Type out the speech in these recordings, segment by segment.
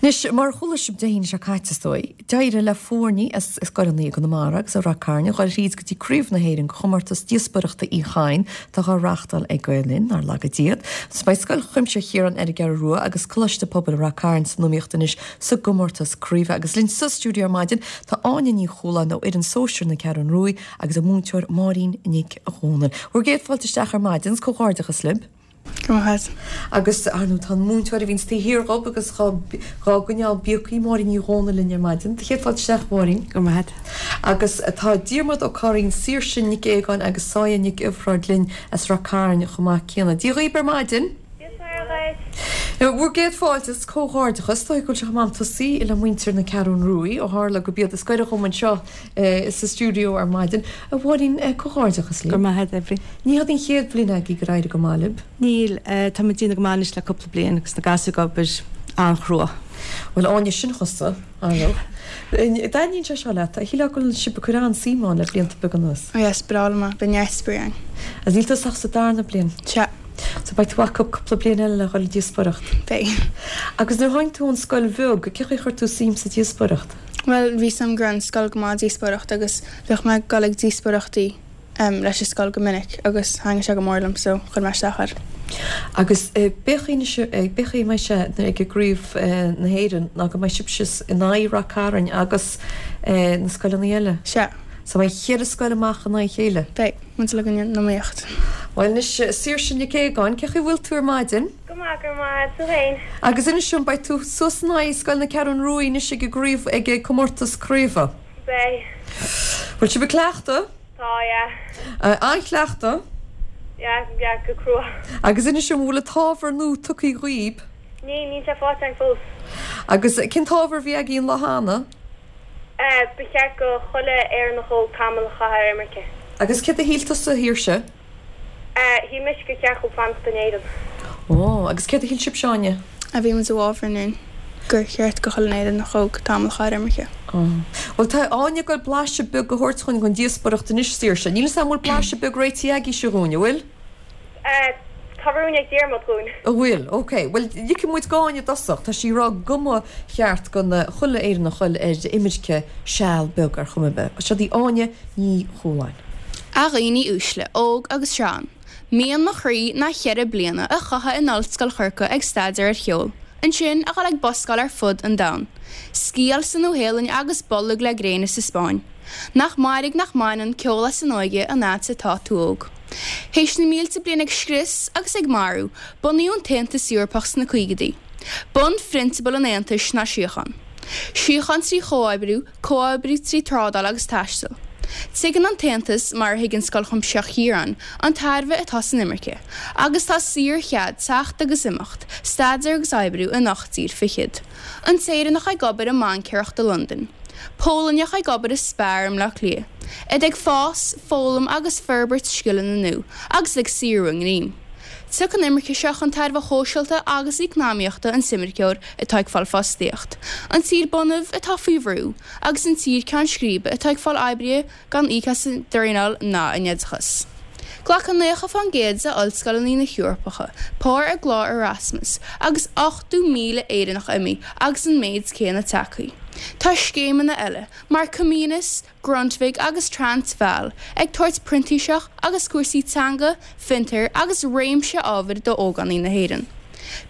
Anois, mar a chuala sibh Dé hAoine seo caite, is dóigh, d'éirigh le foirní as scoileanna i gConamara agus ó Rath Cairn a dhul thríd go dtí Craobh na hÉireann de chomórtas díospóireachta Uí Chadhain atá á reáchtáil ag Gael Linn, nár laga Dia iad. Agus beidh Scoil Chuimsitheach Chiaráin ar an gCeathrú Rua agus Coláiste Pobail Rath Cairn san iomaíocht anois sa gcomórtas craoibhe. Agus linn sa stiúideo ar maidin tá Áine Ní Chualáin ó fhoireann sóisir na Ceathrún Ruaidh agus a múinteoir Máirín Nic Dhónaill. Bhur gcéad fáilte isteach ar maidin, 's comhghairdeachas libh. Go raibh maith agat. Agus, ar ndóigh, tá an múinteoir a bhíonns taobh thiar dhób agus dhá gcoinneáil bíogthaí, Máirín Ní Dhónaill linn ar maidin. Do chéad fáilte isteach, a Mháirín. Go raibh maith agat. Agus tá Diarmuid Ó Curraoin, Saoirse Nic Aogáin agus Sáya Nic Iobhráid linn as Rath Cairn chomh maith céanna. Dia dhaoib ar maidin. Dia is Muire dhuit. Bhur gcéad fáilte is comhghairdeachas. Is dóigh go bhfuil sé chomh maith tosaí le muintir na Ceathrún Ruaidh, ó tharla gurb iad is gaire dhom anseo sa stiúideo ar maidin. A Mháirín, comhghairdeachas libh. Go raibh maith agat, Aifric. Ní hiod an chéad bhliain agaibh gur éirigh go maith libh. Níl. Tá muid ag déanamh go maith anois le cúpla bliain agus na gasúir ag obair an-chrua. Bhuel, Áine, sin thusa, ar ndóigh. An dtaitníonn sé seo leat? Shílfeá go bhfuil sibh ag cur an-suim ann le blianta beaga anuas. Oh yes, breá liom é. Beidh neart spraoi ann. Agus níl tusa ach sa darna bliain. Sea. So beidh tú acu cúpla bliain eile le dhul ag díospóireacht. Beidh. Agus nuair a tháinig tú ón scoil bheag, cé chaoi a chuir tú suim sa díospóireacht? Bhuel, bhí 's a'm go raibh an scoil go maith ag díospóireacht agus bhíodh mé ag dul ag díospóireachtaí leis an scoil go minic agus thaitnigh sé go mór liom so chuir mé isteach air. Agus b'é chaoi anois, b'é chaoi a mbeidh sé ag i gCraobh na hÉireann ná go mbeidh sibhse in aghaidh Rath Cairn agus na scoileanna eile? Sea. So beidh cheithre scoil amach in aghaidh a chéile? Beidh, muid uilig in iomaíocht. Bhuel anois, Saoirse Nic Aogáin, cé chaoi a bhfuil tú ar maidin? Go maith, go raibh maith agat, tú féin? Agus inis dom, beidh tú suas in aghaidh Scoil na Ceathrún Ruaidh anois ag an gcraobh, ag an comórtas craoibhe. Beidh. Bhfuil sibh ag cleachtadh? Tá, yeah. An-chleachtadh? Yeah, yeah, go crua. Agus inis dom, bhfuil an t-ábhar nua tugtha dhaoib? Níl, níl sé faighte againn fós. Agus cén t-ábhar a bhí agaibh an lá cheana? Eh, ba cheart go chuile Éireannach óg tamall a chaitheamh ar imirce. Agus céard a shíl tusa, a Shaoirse? Shíl mise gur cheart dhóibh fanacht in Éirinn. Ó, agus céard a shíl sibhse, Áine? A Bhí muid i bhfabhar ansin gur cheart go chuile Éireannach óg tamall a chaitheamh ar imirce. Ó. Bhuel, tá Áine ag goil blaiseadh beag a thabhairt dhúinn den díospóireacht anois, Saoirse. Níl 'fhios a'm an bhfuil blaiseadh beag réitithe agaibhse dhúinn, an bhfuil? Tá rún ag Diarmuid dhúinn. An bhfuil? Ok. Bhuel, ligfidh muid d'Áine i dtosach. Tá sí ag rá go mba cheart don chuile Éireannach dhul ar imirce seal beag ar chuma ar bith. Seo í Áine Ní Chualáin. A dhaoine uaisle, óg agus sean, mian mo chroí ná cheithre bliana a chaitheamh in Ollscoil Chorcaí ag staidéar ar cheol, ansin a dhul ag buscáil ar fud an domhain, sciáil sa Nua-Shéalainn agus bolg le gréine sa Spáinn. Nach mairg nach mbaineann ceol as an óige an fhad 's atá tú óg. Théis na mílte bliain ag scrios agus ag marú, bunaíodh an tAontas Eorpach sna caogaidí. Bunphrionsabal an Aontais ná síocháin. Síocháin trí chomhoibriú, comhoibriú trí trádáil agus taisteal. Tuigeann an tAontas, mar a thuigeann Scoil Chuimsitheach Chiaráin, an tairbhe atá san imirce, agus tá saorchead teacht agus imeacht, staidéar agus oibriú in ocht dtír fichead. An tÉireannach ag obair i mbaincéireacht i Londain. Polainneach ag obair i Spar i mBleá Cliath. Iad ag fás, foghlaim agus forbairt scileanna nua, agus iad ag saothrú a ngreim. Tiocfaidh an imirce seo chun tairbhe shóisialta agus eacnamaíochta an t-imirceoir atá ag fáil fostaíocht, an tír bunaidh atá faoi bhrú, agus an tír ceann scríbe atá ag fáil oibrithe gan íoc as a dtraenáil ná a n-oideachas. Glacann 90% de ollscoileanna na hEorpacha páirt i gclár Erasmus agus 80,000 Éireannach imithe agus an méid céanna tagtha. Tá scéimeanna eile, mar Comenius, Grundtvig agus Transvaal ag tabhairt printíseach agus cúrsaí teanga, fiontair agus réimse ábhair d'ógánaigh na hÉireann.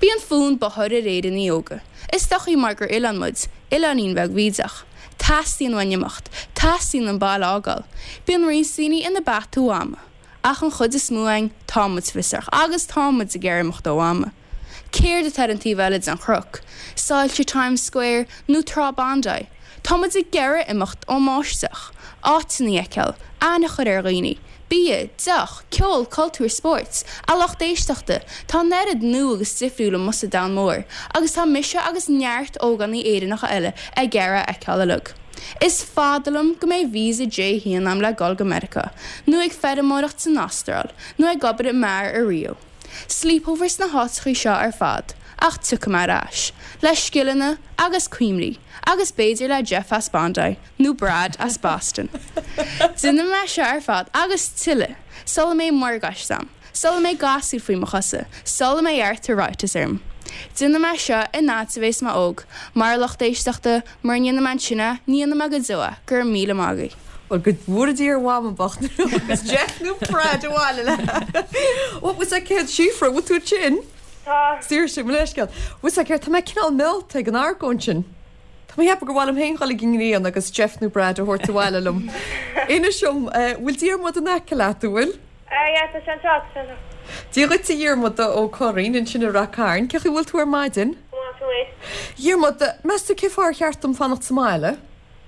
Bíonn fonn bóthair ar Éireannaigh óga. Is dóichí mar gur oileán muid, oileáinín beag bhídeach. Teastaíonn uainn imeacht, teastaíonn an baile a fhágáil. Bíonn roinnt daoine ina bpeata ó mhama. Ach an chuid is mó againn, tá muid fiosrach agus tá muid ag iarraidh imeacht ó mhama. Céard atá ar an taobh eile den chnoc? Soilse Times Square nó Trá Bondi? Tá muid ag iarraidh imeacht ón mbáisteach, áiteanna a fheiceáil, aithne a chur ar dhaoine, bia, deoch, ceol, cultúr, spóirt, a lucht éisteachta, tá an oiread nua agus difriúil amuigh sa domhan mór agus tá mise agus neart ógánaigh Éireannacha eile ag iarraidh a fheiceáil uilig. Is fada liom go mbeidh visa J1 a'm le dul go Meiriceá, nó ag feirmeoireacht san Astráil, nó ag obair i mbeár i Rio. Sleepover sna háiteachaí seo ar fad, ach tiocfaidh mé ar ais, le scileanna agus cuimhní, agus b'fhéidir le Jeff as Bondi, nó Brad as Boston. Déanfaidh mé seo ar fad, agus tuilleadh, sula mbeidh morgáiste a'm, sula mbeidh gasúir faoi mo chosa, sula mbeidh arthritis orm. Déanfaidh mé seo an fhad is a bhéas mé óg, mar a lucht éisteachta, mura ndéanfaidh mé ansin é, ní dhéanfaidh mé go deo é. Go raibh míle maith agaibh. Bhuel, go bhfóire Dia ar Mhama bocht nuair a thiocfas Jeff nó Brad abhaile léi. What was that céad Síofra, bhfuil tú ansin? Tá. Saoirse, mo leithscéal. Bhfuil a fhios agat céard, tá mé cineál meallta ag an argóint sin. Tá mé ag ceapadh gur mhaith liom féin dhul ag an ngrian agus Jeff nó Brad a thabhairt abhaile liom. Inis dom, bhfuil Diarmuid in aice leat, an bhfuil? Yeah, tá sé anseo, tá sé anseo. Dia dhuit a Dhiarmuid Ó Curraoin ansin i Rath Cairn. Cén chaoi a bhfuil tú ar maidin? Go maith, tú fhéin? Dhiarmuid, meas tú cén fáth ar cheart dom fanacht sa mbaile?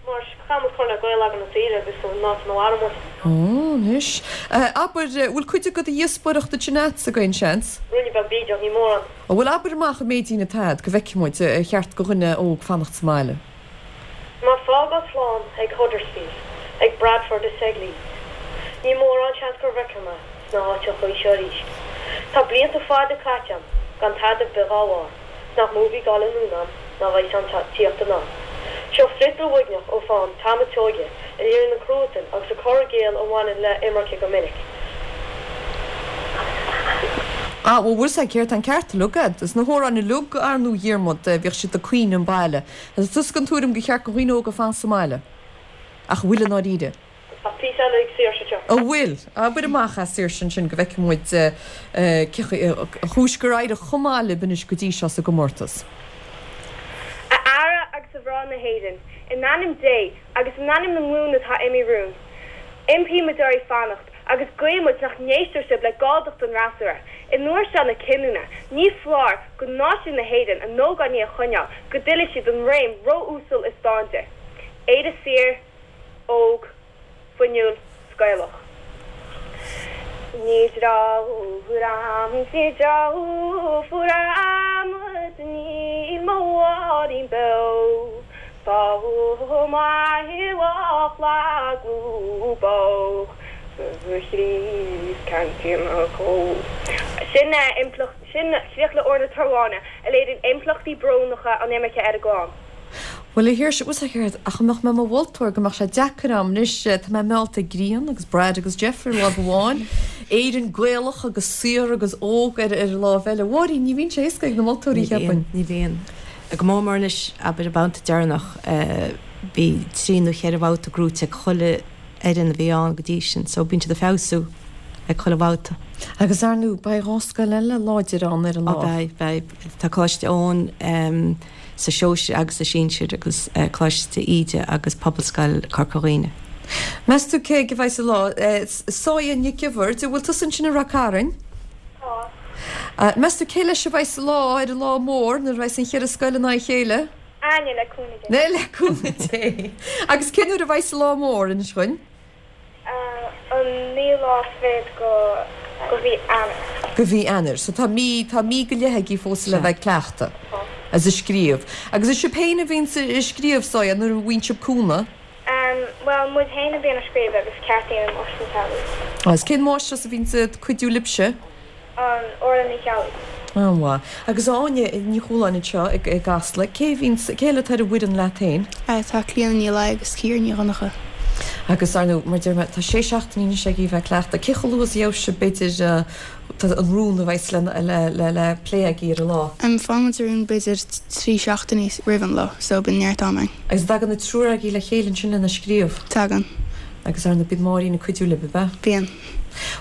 Mar caithfidh muid cur le Gaeil againn na saoire agus an áit ina mhaireann muid. Ó, anois. Abair, bhfuil cuid de do dhíospóireacht ansin agatsa d'aon seans? Ruainne beag bídeach, ní mórán. Ó, bhuel, abair amach an méidín atá agat go bhfeicfidh muid ar cheart do dhuine óg fanacht sa mbaile. Mé ag fágáil slán ag Huddersfield, ag Bradford is ag Leeds. Ní mórán seans gur bhfeicfidh mé sna háiteachaí seo arís. Tá blianta fada caite a'm gan tada ar bith dhá bharr. 's nach mó bhí ag dul anonn a'm ná bheidh san tíocht anall. Seo friotal uaigneach ó pheann Tom a' tSeoighe a léiríonn an cruatan agus an cur i gcéill a bhaineann le imirce go minic. Ah, bhuel, bhfuil 's a'd céard, tá an ceart uilig a'd. Is na hamhráin uilig, ar ndóigh, a Dhiarmuid, bhíodh siad ag caoineadh an baile. Tá tusa den tuairim gur cheart do dhaoine óga fanacht sa mbaile. Ach an bhfuil i ndáiríre? Tá píosa eile ag Saoirse anseo. An bhfuil? Abair amach é Saoirse ansin go bhfeicfidh muid cén chúis gur éirigh chomh maith libh anois go dtí seo sa gcomórtas. A fheara agus a mhná na hÉireann, in ainm Dé agus in ainm na nglún atá imithe romhainn, impímid oraibh fanacht agus guímid nach n-éistfidh sibh le galldacht an fhreasúra. In uair seo na cinniúna, ní foláir do náisiún na hÉireann a n-ógánaigh a choinneáil go dtuillfidh siad an réim ró-uasal is dán di. Éire saor. óg, fuinniúil 's Gaelach. Ní drochuair a'm 's ní drochuair a'm is níl mo Mháirín beo Tá maith lúbach sa chrios ceantaí na gcó. Sin impleacht, sin críoch le Amhrán na Tormháine a léiríonn impleachtaí brónacha an imirce ar an gclann. Bhuel, a Shaoirse, bhfuil 's a'd céard, ach dá mbeadh mé i mo mholtóir go mbeadh sé deacair a'm anois, tá mé meallta ag grian agus Brad agus Jeff ar láimh amháin, Éirinn Gaelach agus saor agus óg ar an láimh eile. Mháirín, ní bhíonn sé éasca ag na moltóirí, Ní bhíonn, cheapfainn. ní bhíonn. Go mór mór anois, abair, an babhta deireanach, bhí trí nó cheithre bhabhta gnóite ag chuile fhoireann a bhí ann go dtí sin, so bíonn siad ag feabhsú ag chuile bhabhta. Agus ar ndóigh, beidh dhá scoil eile láidir ann ar an Á, lá. beidh, beidh. Tá Coláiste Eoin, sa sóisir agus sa sinsir agus Coláiste Íde agus Pobalscoil Corca Dhuibhne. Meas tú cé aige a bheidh an lá? Sáia Nic Iofaird, an bhfuil tusa ansin i Rath Cairn? Tá. Meas tú cé leis a bheidh an lá ar an lá mór nuair a bheidh an cheithre scoil in aghaidh a chéile? Áine, le cúnamh Dé. Le cúnamh Dé. Agus cén uair a bheidh an lá mór, inis dhuinn? An naoú lá fichead go go mhí Eanáir. Go mhí Eanáir. So tá mí, tá mí go leith agaibh fós le bheith ag cleachtadh. Tá. Agus ag scríobh. Agus is sibh féin a bhíonns ag scríobh, Sáia, nó an bhfaigheann sibh cúnamh? Bhuel, muid féin a bhíonn ag scríobh agus ceartaíonn an Máistir Ní Cheallaigh. Agus cén mháistreás a bhíonns ag cuidiú libhse? An Orla Ní Cheallaigh. An-mhaith. Agus Áine Ní Chualáin anseo i gCasla, cé a bhíonns, cé eile atá ar an bhfoireann leat féin? Tá Clíona Ní Laoi agus Ciara Ní Dhonncha. Agus, ar ndóigh, mar a deir mé, tá sé seachtainí anois agaibh a bheith ag cleachtadh. Cé chomh luath is a gheobhas sibh, b'fhéidir, an rún a bheas le, le, le plé agaibh ar an lá? Faigheann muid an rún b'fhéidir 3 seachtainí roimh an lá, so bíonn neart am againn. Agus an dtagann an triúr agaibh le chéile ansin lena scríobh? Tagann. Agus, ar ndóigh, bíonn Máirín ag cuidiú libh, ab ea? Bíonn.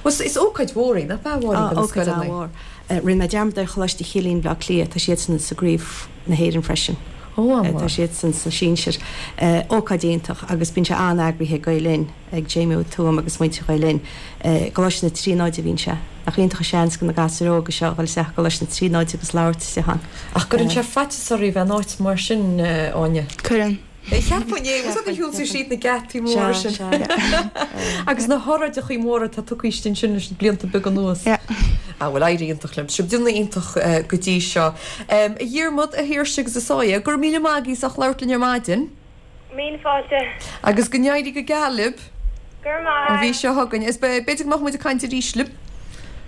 Bhuel, is ócáid mhór í, nach ea, a Mháirín, do na Ócáid scoileanna? an-mhór. Rinne mé dearmad ar Choláiste Chilliain, Bleá Cliath, tá siadsan sa gcraobh na hÉireann freisin. Ó, an-mhaith. Tá siadsan sna sinsir. Ócáid iontach agus bíonn sé an-eagraithe ag Gael Linn, ag Jamie Ó Tuama agus muintir Ghael Linn. I gColáiste na Tríonóide a bhíonn sé. Nach iontach an seans do na gasúir óga seo a dhul isteach i gColáiste na Tríonóide agus labhairt istigh ann. Ach gcuireann sé faitíos oraibh a bheith in áit mar sin, Áine? Cuireann. Cheapfainn é, agus nuair a shiúlann tú tríd na geataí móra sin. Agus na hóráideachaí móra atá tugtha istigh ansin leis na blianta beaga anuas. Ah bhuel, éirí iontach libh. Sibh ag déanamh iontach go dtí seo. A Dhiarmaid, a Shaoirse agus a Sáia, go raibh míle maith agaibh as ucht labhairt linn ar maidin. Míle fáilte. Agus go n-éirí go geal libh. Go raibh maith. An mhí seo chugainn. Is b'fhéidir go mbeadh muid ag caint arís libh.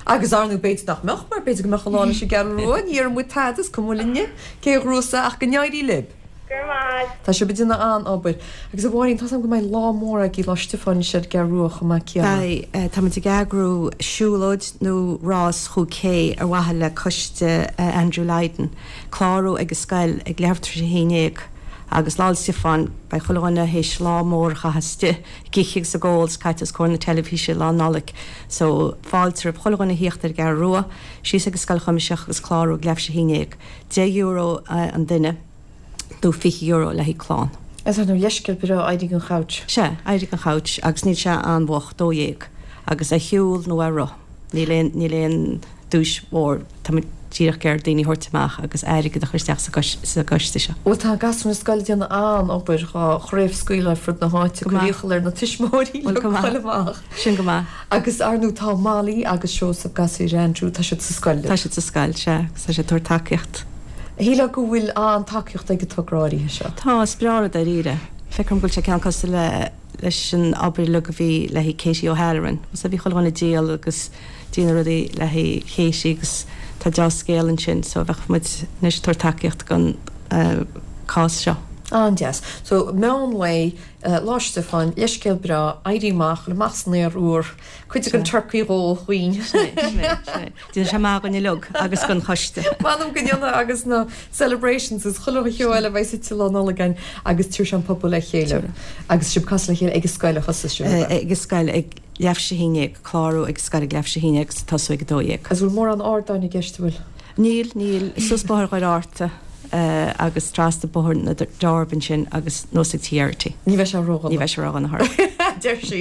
Agus ar ndóigh b'fhéidir nach mbeadh, mar b'fhéidir go mbeadh an lá leis an gCeathrú Rua. Ní déarfaidh muid tada, is cuma linne cé a ghnóthós é, ach go n-éirí libh. Go raibh maith agat. Tá sibh ag déanamh an-obair. Agus a Mháirín, tá's agam go mbeidh lá mór agaibh Lá Stiofáin ar an gCeathrú Rua chomh maith céanna. Beidh. Tá muid ag eagrú siúlóid nó rás chúig K ar mhaithe le coiste Andrew Lydon. Clárú ag an scoil ag leathuair tar éis a haon dhéag agus Lá 'le Stiofáin beidh chuile dhuine théis lá mór a chaitheamh istigh ag ithe agus ag ól is caite os comhair na teilifíse Lá Nollag so fáilte roimh chuile dhuine a thíocht ar an gCeathrú Rua, síos ag an Scoil Chuimsitheach agus clárú ag leathuair tar éis a haon dhéag. €10 an duine nó €20 le haghaidh clann. Is ar ndóigh leithscéal breá éirí den chouch. Sea, éirí den chouch agus níl sé an-mhoch, 12:00, agus ar shiúl nó ar roth. Níl aon, níl aon duais mhór, tá muid díreach ag iarraidh daoine a thabhairt amach agus airgead a chur isteach sa sa gcoiste seo. Bhuel tá gasúir na scoile ag déanamh an-obair dhá chraobhscaoileadh ar fud na háite, Go cur maith. iachall ar na tuismitheoirí Bhuel le go maith. dhul amach. Sin go maith. Agus ar ndóigh tá Molly agus Seosamh, gasúir Andrew, tá siad sa scoil libh. Tá siad sa scoil, sea, agus tá siad ag tabhairt tacaíocht. Shílfeá go bhfuil an-tacaíocht ag an togra áirithe seo. Tá, is breá rud dáiríre. Feictear dom go bhfuil sé cineál cosúil le leis an obair uilig a bhí le haghaidh Katie O'Halloran. So bhí chuile dhuine ag díol agus déanamh rudaí le haghaidh Katie agus tá deá-scéal ansin so bheadh muid anois ag tabhairt tacaíocht don cás seo. An-deas. So, meán lae, Lá Stiofáin, leithscéal breá, éirí amach, dul amach san aer úr, cuid den turcaí dhó dhaoin. Sin é, sin é, sin é. Déanfaidh sé maith dhuinn uilig agus don choiste. M'anam go ndéanfaidh agus na celebrations agus chuile cheo eile a bheidh suite Lá Nollag againn agus tabharfaidh sé an pobal le chéile. Agus sibh ag casadh le chéile ag an scoil a thosós sibh, ab ea? Ag an scoil ag leathuair tar éis a haon dhéag, clárú ag an scoil ag leathuair tar éis a haon dhéag agus tosú ag a 12. Agus bhfuil mórán ardáin i gceist, an bhfuil? Níl, níl. Suas Bóthar Dhoire Fhearta agus trasna Bóthar na dTorb ansin agus anuas ag Tí Geraghty. Ní bheidh sé ródhona. Ní bheidh sé ródhona thar. Deir sí.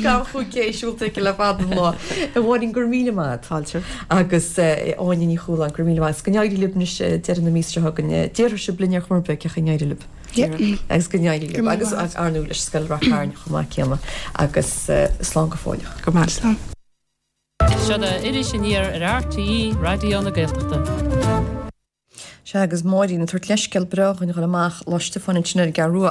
Gan 5K siúlta aici le fada an lá. A Mháirín, go raibh míle maith agat. Fáilte. Agus Áine Ní Chualáin, go raibh míle maith agat. Go n-éirí libh anois deireadh na míosa seo chugainn. Déarfaidh sibh linn ar chuma ar bith cén chaoi a n-éirigh libh. Agus go n-éirí libh. Agus ar ndóigh leis Scoil Ráth Chairn chomh maith céanna. Agus slán go fóilleach. Go raibh maith. Slán. Seo é Iris Aniar ar RTÉ Raidió na Gaeltachta. Sea, agus Máirín ag tabhairt leithscéal breá dhuinn a dhul amach Lá Stiofáin ansin ar an gCeathrú Rua.